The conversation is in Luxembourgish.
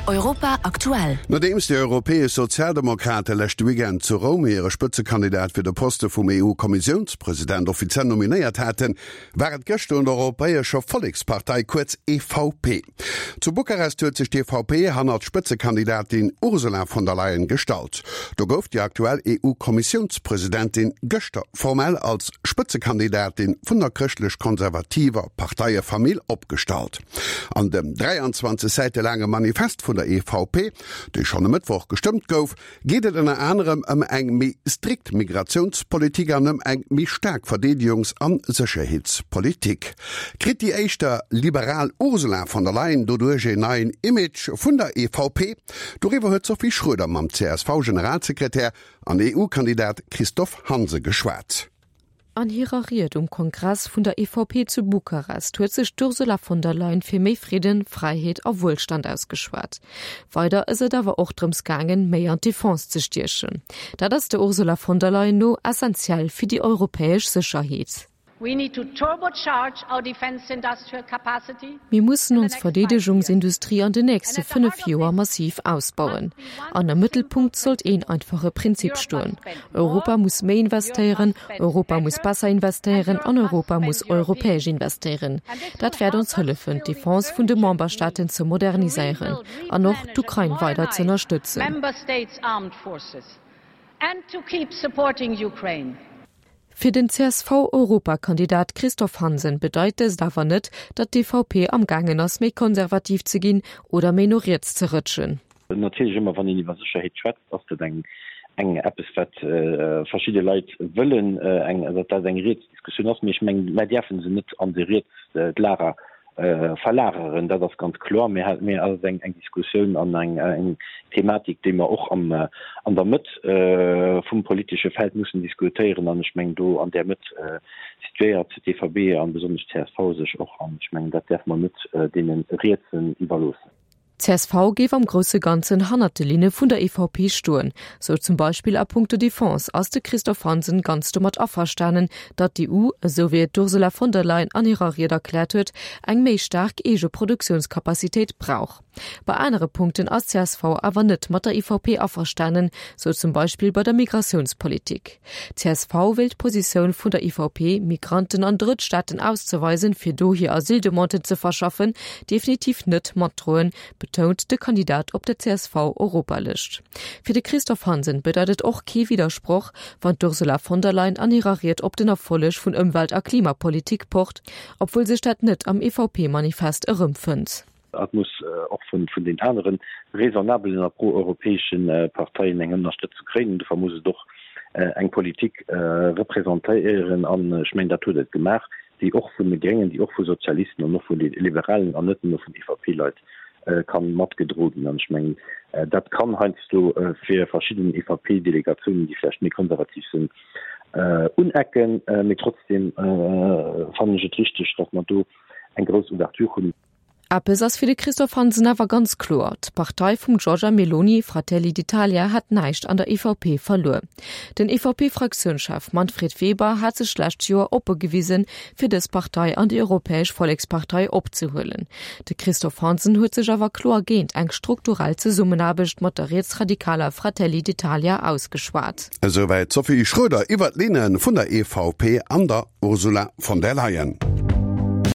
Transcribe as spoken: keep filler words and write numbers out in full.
Europa aktuell. Nodeems déi europäesch Sozialdemokrate leschte Weekend zu Roum hire Spëtzekandidat fir de Poste vum EU-Kommissiounspresident offiziell nominéiert haten, war et gëschter un der Europäescher Vollekspartei, kuerz EVP. Zu Bukarest huet sech d'EVP hannert d'Spëtzekandidatin Ursula von der Leyen gestallt. Do gouf déi aktuell EU-Kommissiounspresidentin gëschter formell als Spëtzekandidatin vun der chrëschtlech-konservativer Parteiefamill opgestallt. An dem dräianzwanzeg Säite laange Manifest vun der E V P, dee schonn e Mëttwoch gestëmmt gouf, geet et ënner anerem ëm eng méi strikt Migratiounspolitik an ëm eng méi staark Verdeedegungs an Sécherheetspolitik. Kritt déi éischter liberal Ursula von der Leyen doduerch een neien Image vun der E V P? Doriwwer huet d'Sophie Schroeder mam C S V-Generalsekretär an E U-Kandidat Christophe Hansen geschwat. An hirer Ried um Kongress vun der E V P zu Bukarest huet sech d'Ursula von der Leyen fir méi Fridden, Fräiheet a Wuelstand ausgeschwat. Weider ass et awer och drëms gaangen, méi an d'Defense ze stiechen. Dat ass der Ursula von der Leyen no essentiell fir déi europäesch Sécherheet. Mir mussen ons Verdeedegungsindustrie an den nächste fënnef Joer massiv ausbauen. An am Mëttelpunkt sollt een einfache Prinzip stoen. Europa muss méi investéieren, Europa muss besser investéieren an Europa muss europäesch investéieren. Dat wäert ons hëllefen, d'Defense vun de Memberstaaten ze moderniséieren an och d'Ukrain weider ze ënnerstëtzen. And to keep supporting Ukraine. Fir den C S V-Europakandidat Christophe Hansen bedeit dëst awer net, datt d'E V P am gaangen ass méi konservativ ze ginn oder méi no riets ze rëtschen. Natierlech ëmmer wann een iwwer Sécherheet schwätzt, ass dat eng eng eppes wat verschidde Leit wëllen, eng datt dat eng riets Diskussioun ass. Mee ech mengen, mer däerfe se net an de riets d'Lager verlageren, dat ass ganz kloer. Mee mee ass eng eng Diskussioun an eng eng Thematik, déi mer och am an der Mëtt vum politesche Feld mussen diskutéieren. An ech mengen, do an där Mëtt situéiert d'E V P an besonnesch d'C S V sech och. An ech mengen, dat däerfe mer net deene Rietsen iwwerloossen. D C S V géif am grousse Ganzen hannert de Linne vun der E V P stoen. Sou zum Beispill a punkto Defense ass de Christophe Hansen ganz domat averstanen, datt d'E U, esou wéi et d'Ursula von der Leyen an hirer Ried erkläert huet, eng méi staark eege Produktiounscapacitéit brauch. Bei anere Punkten ass D C S V awer net mat der E V P averstanen, sou zum Beispill bei der Migratiounspolitik. D C S V wëllt d'Positioun vun der E V P, Migranten an Drëttstaaten auszeweisen, fir do hir Asyldemanden ze verschaffen, definitiv net matdroen, betount de Kandidat op der C S V-Europalëscht. Fir de Christophe Hansen bedeit et och kee Widdersproch, wann d'Ursula von der Leyen an hirer Ried op den Erfolleg vun Ëmwelt a Klimapolitik pocht, obwuel sech dat net am E V P-Manifest erëmfënnt. Et muss och vun vun den aneren raisonnabelen a pro-europäesche Parteien eng Ënnerstëtzung kréien. Dofir muss et och eng Politik representéieren, an ech mengen, dat huet et gemaach, déi och vun de Gréngen, déi och vu Sozialisten an och vu Liberalen an net nëmme vun E V P-Leit kann matgedroe ginn. An ech mengen, dat kann heiansdo fir verschidden E V P-Delegatiounen, déi vläicht méi konservativ sinn, unecken, mee trotzdem fannen ech et richteg, datt mer do eng grouss Ouverture hunn. Eppes ass fir de Christophe Hansen awer ganz kloer, D'Partei vum Giorgia Meloni, Fratelli d'Italia, hat näischt an der E V P verluer. Den E V P-Fraktiounschef Manfred Weber hat sech d'lescht Joer oppe gewisen, fir dës Partei an déi Europäesch Vollekspartei opzehuelen. De Christophe Hansen huet sech awer kloer géint eng strukturell Zesummenaarbecht mat der rietsradikaler Fratelli d'Italia ausgeschwat. Esouwäit d'Sophie Schroeder iwwer d'Linne vun der E V P an der Ursula von der Leyen.